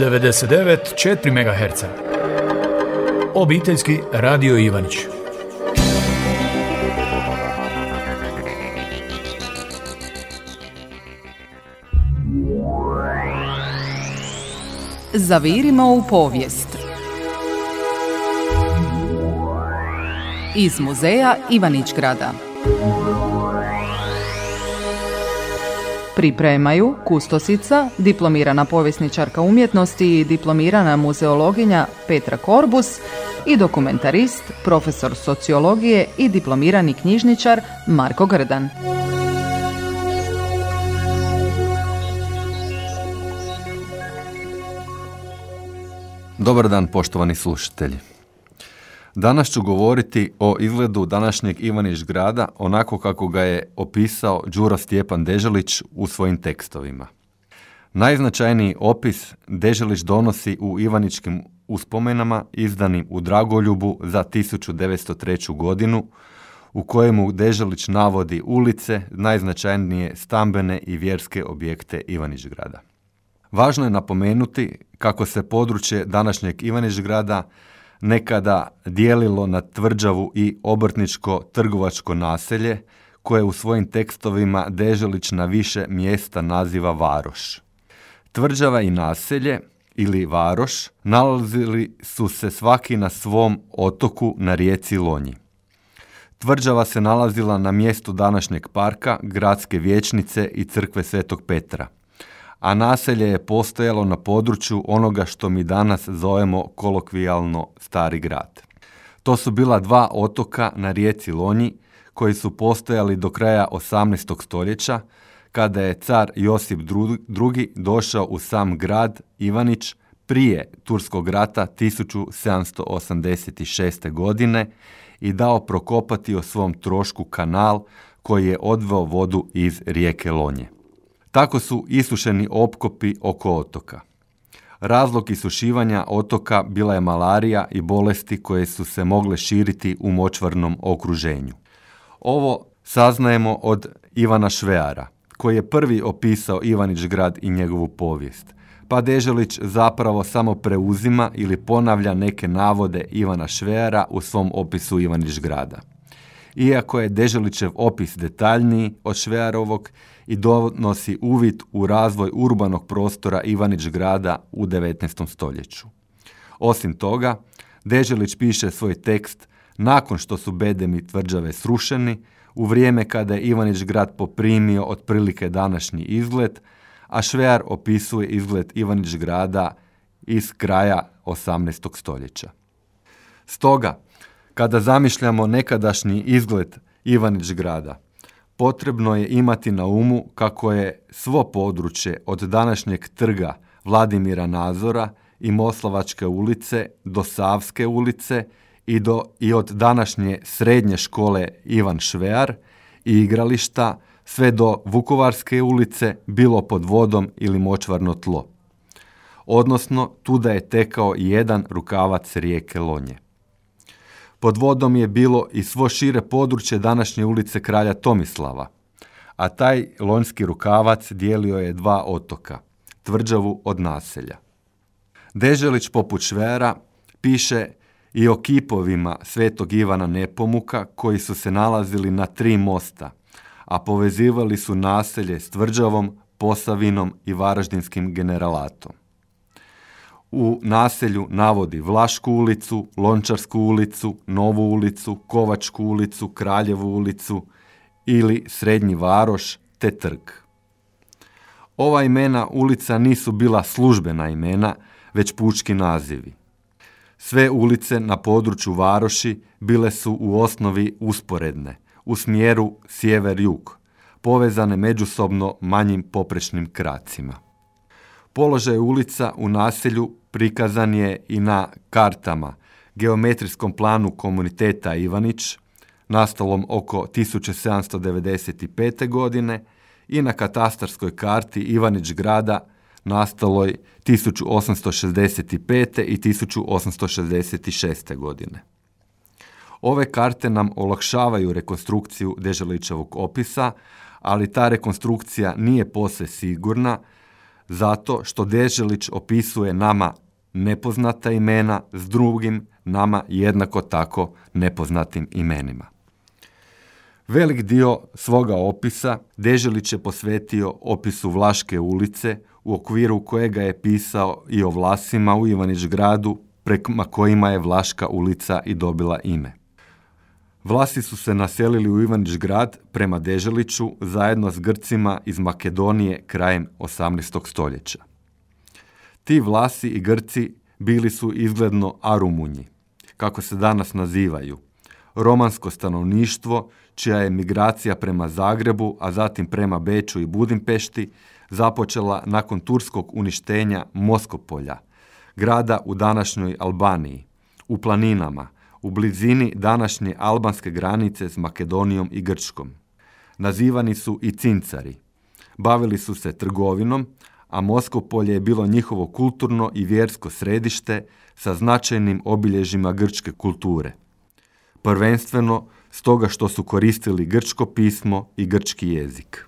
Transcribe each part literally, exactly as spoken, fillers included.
devedeset devet zarez četiri megaherca. Obiteljski radio Ivanić. Zavirimo u povijest. Iz muzeja Ivanić-Grada. Pripremaju kustosica, diplomirana povjesničarka umjetnosti i diplomirana muzeologinja Petra Korbus i dokumentarist, profesor sociologije i diplomirani knjižničar Marko Grdan. Dobar dan, poštovani slušatelji. Danas ću govoriti o izgledu današnjeg Ivanić-Grada onako kako ga je opisao Đuro Stjepan Deželić u svojim tekstovima. Najznačajniji opis Deželić donosi u Ivaničkim uspomenama izdanim u Dragoljubu za tisuću devetsto treću. godinu, u kojemu Deželić navodi ulice, najznačajnije stambene i vjerske objekte Ivanić-Grada. Važno je napomenuti kako se područje današnjeg Ivanić-Grada nekada dijelilo na tvrđavu i obrtničko-trgovačko naselje, koje u svojim tekstovima Deželić na više mjesta naziva Varoš. Tvrđava i naselje, ili Varoš, nalazili su se svaki na svom otoku na rijeci Lonji. Tvrđava se nalazila na mjestu današnjeg parka, gradske vijećnice i crkve Svetog Petra, a naselje je postojalo na području onoga što mi danas zovemo kolokvijalno Stari grad. To su bila dva otoka na rijeci Lonji koji su postojali do kraja osamnaestog stoljeća, kada je car Josip drugi. došao u sam grad Ivanić prije Turskog rata tisuću sedamsto osamdeset šeste. godine i dao prokopati o svom trošku kanal koji je odveo vodu iz rijeke Lonje. Tako su isušeni opkopi oko otoka. Razlog isušivanja otoka bila je malarija i bolesti koje su se mogle širiti u močvarnom okruženju. Ovo saznajemo od Ivana Šveara, koji je prvi opisao Ivanić-Grad i njegovu povijest, pa Deželić zapravo samo preuzima ili ponavlja neke navode Ivana Šveara u svom opisu Ivanić-Grada. Iako je Deželićev opis detaljniji od Švearovog i donosi uvid u razvoj urbanog prostora Ivanić-Grada u devetnaestom stoljeću. Osim toga, Deželić piše svoj tekst nakon što su bedemi tvrđave srušeni, u vrijeme kada je Ivanić-Grad poprimio otprilike današnji izgled, a Švear opisuje izgled Ivanić-Grada iz kraja osamnaestog stoljeća. Stoga, kada zamišljamo nekadašnji izgled Ivanić-Grada, potrebno je imati na umu kako je svo područje od današnjeg trga Vladimira Nazora i Moslavačke ulice do Savske ulice i, do, i od današnje srednje škole Ivan Švear i igrališta sve do Vukovarske ulice bilo pod vodom ili močvarno tlo. Odnosno, tuda je tekao jedan rukavac rijeke Lonje. Pod vodom je bilo i svo šire područje današnje ulice Kralja Tomislava, a taj lonjski rukavac dijelio je dva otoka, tvrđavu od naselja. Deželić poput Šveara piše i o kipovima Svetog Ivana Nepomuka koji su se nalazili na tri mosta, a povezivali su naselje s tvrđavom, Posavinom i Varaždinskim generalatom. U naselju navodi Vlašku ulicu, Lončarsku ulicu, Novu ulicu, Kovačku ulicu, Kraljevu ulicu ili Srednji Varoš te trg. Ova imena ulica nisu bila službena imena, već pučki nazivi. Sve ulice na području Varoši bile su u osnovi usporedne, u smjeru sjever-jug, povezane međusobno manjim poprečnim kracima. Položaj ulica u naselju prikazan je i na kartama, geometrijskom planu komuniteta Ivanić, nastalom oko tisuću sedamsto devedeset pete. godine, i na katastarskoj karti Ivanić-Grada, nastaloj tisuću osamsto šezdeset pete. i tisuću osamsto šezdeset šeste. godine. Ove karte nam olakšavaju rekonstrukciju Deželićevog opisa, ali ta rekonstrukcija nije posve sigurna, zato što Deželić opisuje nama nepoznata imena s drugim, nama jednako tako nepoznatim imenima. Velik dio svoga opisa Deželić je posvetio opisu Vlaške ulice, u okviru kojega je pisao i o Vlasima u Ivanić Gradu, prema kojima je Vlaška ulica i dobila ime. Vlasi su se naselili u Ivanić Grad prema Deželiću zajedno s Grcima iz Makedonije krajem osamnaestog stoljeća. Ti Vlasi i Grci bili su izgledno Arumunji, kako se danas nazivaju, romansko stanovništvo čija je migracija prema Zagrebu, a zatim prema Beču i Budimpešti započela nakon turskog uništenja Moskopolja, grada u današnjoj Albaniji, u planinama, u blizini današnje albanske granice s Makedonijom i Grčkom. Nazivani su i Cincari. Bavili su se trgovinom, a Moskopolje je bilo njihovo kulturno i vjersko središte sa značajnim obilježjima grčke kulture. Prvenstveno stoga što su koristili grčko pismo i grčki jezik.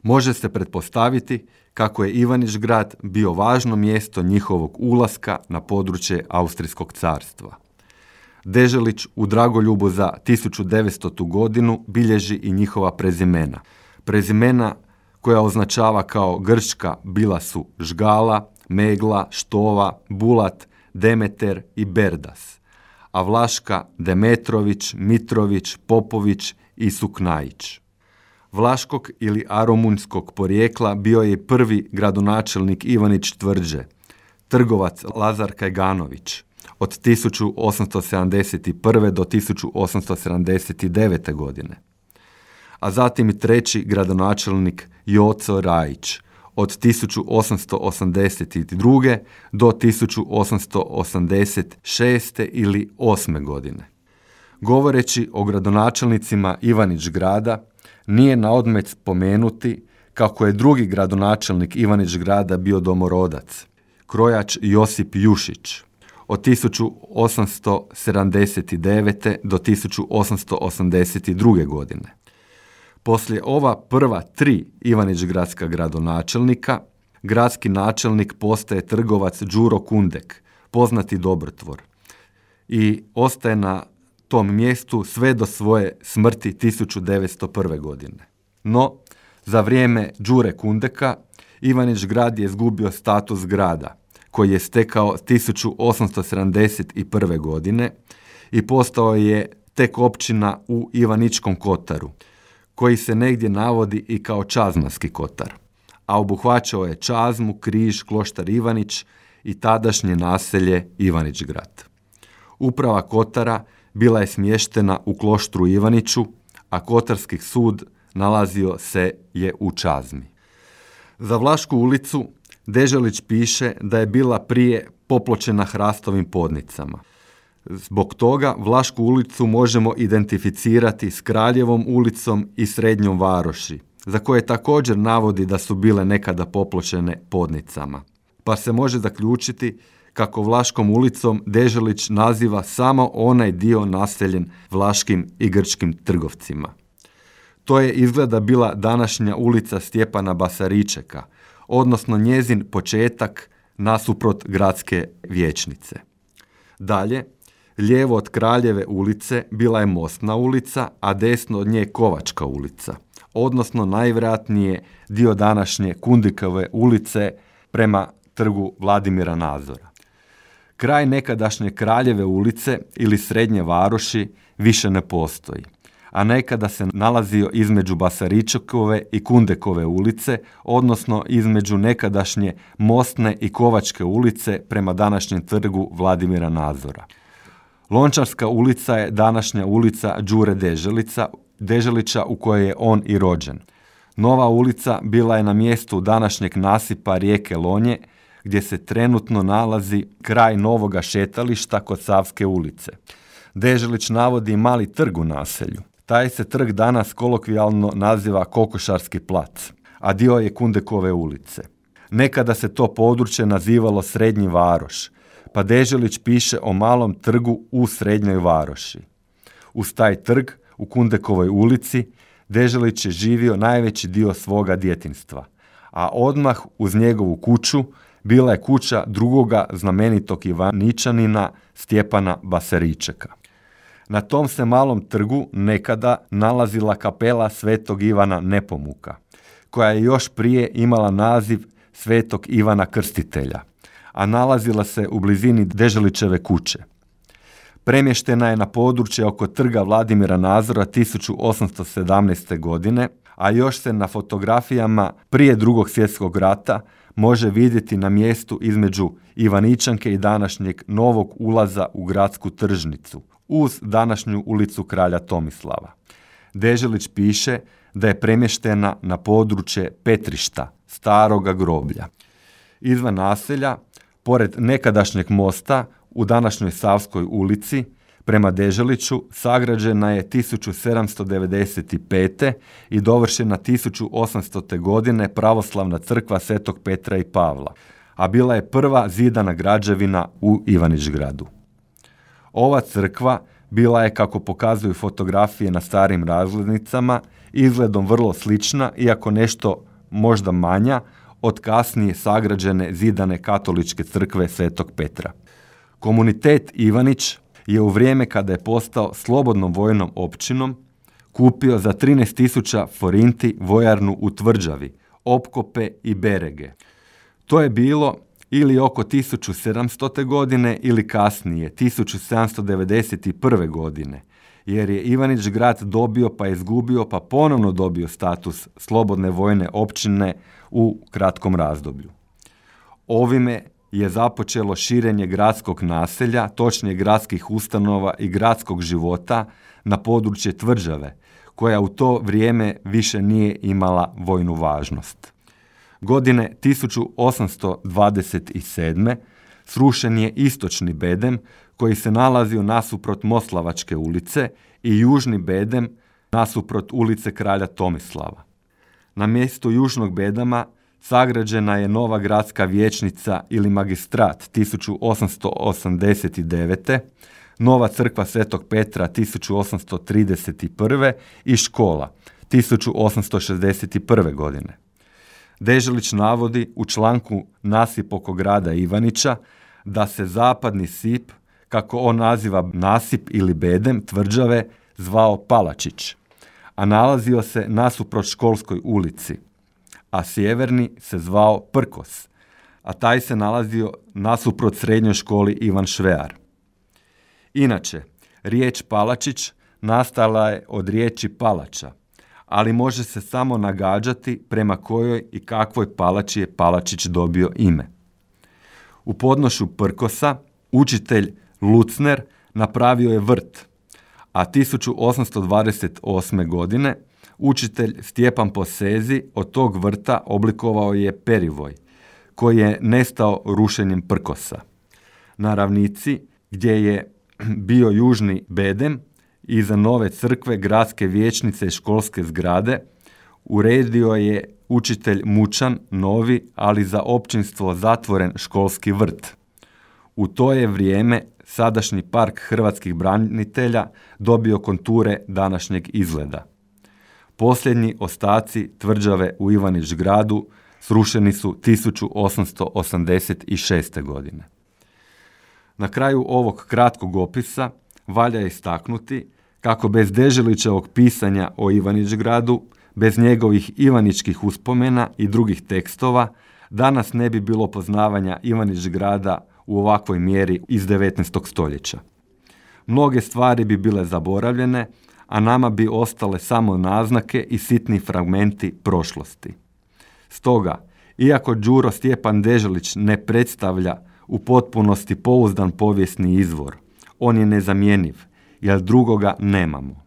Može se pretpostaviti kako je Ivanić Grad bio važno mjesto njihovog ulaska na područje Austrijskog carstva. Deželić u Dragoljubu za tisuću devetstotu godinu bilježi i njihova prezimena. Prezimena koja označava kao grčka bila su Žgala, Megla, Štova, Bulat, Demeter i Berdas, a vlaška Demetrović, Mitrović, Popović i Suknajić. Vlaškog ili aromunjskog porijekla bio je prvi gradonačelnik Ivanić Tvrđe, trgovac Lazar Kajganović, od tisuću osamsto sedamdeset prve do tisuću osamsto sedamdeset devete godine. A zatim i treći gradonačelnik Joco Rajić, od tisuću osamsto osamdeset druge do tisuću osamsto osamdeset šeste ili osme godine. Govoreći o gradonačelnicima Ivanić Grada, nije na odmet spomenuti kako je drugi gradonačelnik Ivanić Grada bio domorodac, krojač Josip Jušić, od tisuću osamsto sedamdeset devete do tisuću osamsto osamdeset druge godine. Poslije ova prva tri Ivanić-gradska gradonačelnika, gradski načelnik postaje trgovac Đuro Kundek, poznati dobrotvor, i ostaje na tom mjestu sve do svoje smrti tisuću devetsto prve godine. No, za vrijeme Đure Kundeka, Ivanić Grad je izgubio status grada, koji je stekao tisuću osamsto sedamdeset prve godine i postao je tek općina u Ivaničkom Kotaru, koji se negdje navodi i kao Čazmanski Kotar, a obuhvaćao je Čazmu, Križ, Kloštar Ivanić i tadašnje naselje Ivanić Grad. Uprava Kotara bila je smještena u Kloštru Ivaniću, a Kotarski sud nalazio se je u Čazmi. Za Vlašku ulicu Deželić piše da je bila prije popločena hrastovim podnicama. Zbog toga Vlašku ulicu možemo identificirati s Kraljevom ulicom i Srednjom Varoši, za koje također navodi da su bile nekada popločene podnicama. Pa se može zaključiti kako Vlaškom ulicom Deželić naziva samo onaj dio naseljen vlaškim i grčkim trgovcima. To je izgleda bila današnja ulica Stjepana Basaričeka, odnosno njezin početak nasuprot gradske vijećnice. Dalje, lijevo od Kraljeve ulice bila je Mostna ulica, a desno od nje Kovačka ulica, odnosno najvjerojatnije dio današnje Kundikove ulice prema trgu Vladimira Nazora. Kraj nekadašnje Kraljeve ulice ili Srednje Varoši više ne postoji, a nekada se nalazio između Basaričekove i Kundekove ulice, odnosno između nekadašnje Mostne i Kovačke ulice prema današnjem trgu Vladimira Nazora. Lončarska ulica je današnja ulica Đure Deželica, Deželića u kojoj je on i rođen. Nova ulica bila je na mjestu današnjeg nasipa rijeke Lonje, gdje se trenutno nalazi kraj novoga šetališta kod Savske ulice. Deželić navodi mali trg u naselju. Taj se trg danas kolokvijalno naziva Kokošarski plac, a dio je Kundekove ulice. Nekada se to područje nazivalo Srednji Varoš, pa Deželić piše o malom trgu u Srednjoj Varoši. Uz taj trg u Kundekovoj ulici Deželić je živio najveći dio svoga djetinjstva, a odmah uz njegovu kuću bila je kuća drugoga znamenitog Ivaničanina Stjepana Baseričeka. Na tom se malom trgu nekada nalazila kapela Svetog Ivana Nepomuka, koja je još prije imala naziv Svetog Ivana Krstitelja, a nalazila se u blizini Deželićeve kuće. Premještena je na područje oko trga Vladimira Nazora tisuću osamsto sedamnaeste. godine, a još se na fotografijama prije drugog svjetskog rata može vidjeti na mjestu između Ivaničanke i današnjeg novog ulaza u gradsku tržnicu, uz današnju ulicu Kralja Tomislava. Deželić piše da je premještena na područje Petrišta, staroga groblja. Izvan naselja, pored nekadašnjeg mosta, u današnjoj Savskoj ulici, prema Deželiću, sagrađena je tisuću sedamsto devedeset pete. i dovršena tisuću osamstote. godine pravoslavna crkva Svetog Petra i Pavla, a bila je prva zidana građevina u Ivanić-gradu. Ova crkva bila je, kako pokazuju fotografije na starim razglednicama, izgledom vrlo slična, iako nešto možda manja, od kasnije sagrađene zidane katoličke crkve Svetog Petra. Komunitet Ivanić je u vrijeme kada je postao slobodnom vojnom općinom kupio za trinaest tisuća forinti vojarnu u Tvrđavi, opkope i berege. To je bilo ili oko tisuću sedamstote. godine ili kasnije, tisuću sedamsto devedeset prve. godine, jer je Ivanić grad dobio pa izgubio pa ponovno dobio status slobodne vojne općine u kratkom razdoblju. Ovime je započelo širenje gradskog naselja, točnije gradskih ustanova i gradskog života na područje Tvrđave, koja u to vrijeme više nije imala vojnu važnost. Godine tisuću osamsto dvadeset sedme. srušen je istočni bedem koji se nalazio nasuprot Moslavačke ulice i južni bedem nasuprot ulice Kralja Tomislava. Na mjestu južnog bedama sagrađena je nova gradska vijećnica ili magistrat tisuću osamsto osamdeset devete. nova crkva Svetog Petra tisuću osamsto trideset prve. i škola tisuću osamsto šezdeset prve. godine. Deželić navodi u članku Nasip oko grada Ivanića da se zapadni sip, kako on naziva nasip ili bedem Tvrđave, zvao Palačić, a nalazio se nasuprot Školskoj ulici, a sjeverni se zvao Prkos, a taj se nalazio nasuprot srednjoj školi Ivan Švear. Inače, riječ Palačić nastala je od riječi palača, ali može se samo nagađati prema kojoj i kakvoj palači je Palačić dobio ime. U podnošu Prkosa učitelj Lucner napravio je vrt, a tisuću osamsto dvadeset osme. godine učitelj Stjepan Posezi od tog vrta oblikovao je perivoj, koji je nestao rušenjem Prkosa. Na ravnici, gdje je bio južni bedem, iza nove crkve, gradske vijećnice i školske zgrade, uredio je učitelj Mučan novi, ali za općinstvo zatvoren školski vrt. U to je vrijeme sadašnji park hrvatskih branitelja dobio konture današnjeg izgleda. Posljednji ostaci Tvrđave u Ivanić gradu srušeni su tisuću osamsto osamdeset šeste. godine. Na kraju ovog kratkog opisa valja istaknuti kako bez Deželićevog pisanja o Ivanić gradu, bez njegovih ivaničkih uspomena i drugih tekstova, danas ne bi bilo poznavanja Ivanić grada u ovakvoj mjeri iz devetnaestog. stoljeća. Mnoge stvari bi bile zaboravljene, a nama bi ostale samo naznake i sitni fragmenti prošlosti. Stoga, iako Đuro Stjepan Deželić ne predstavlja u potpunosti pouzdan povijesni izvor, on je nezamjenjiv, jer drugoga nemamo.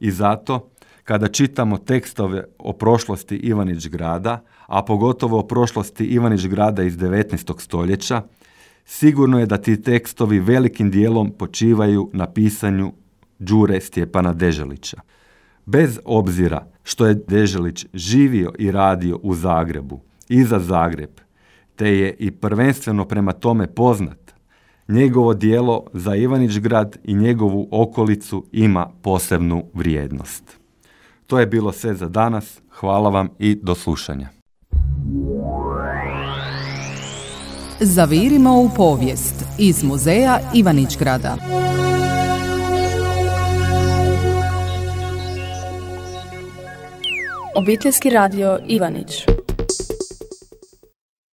I zato, kada čitamo tekstove o prošlosti Ivanić grada, a pogotovo o prošlosti Ivanić grada iz devetnaestog. stoljeća, sigurno je da ti tekstovi velikim dijelom počivaju na pisanju Đure Stjepana Deželića. Bez obzira što je Deželić živio i radio u Zagrebu i za Zagreb, te je i prvenstveno prema tome poznat, njegovo djelo za Ivanić grad i njegovu okolicu ima posebnu vrijednost. To je bilo sve za danas. Hvala vam i do slušanja. Zavirimo u povijest iz muzeja Ivanić-Grada. Obiteljski radio Ivanić.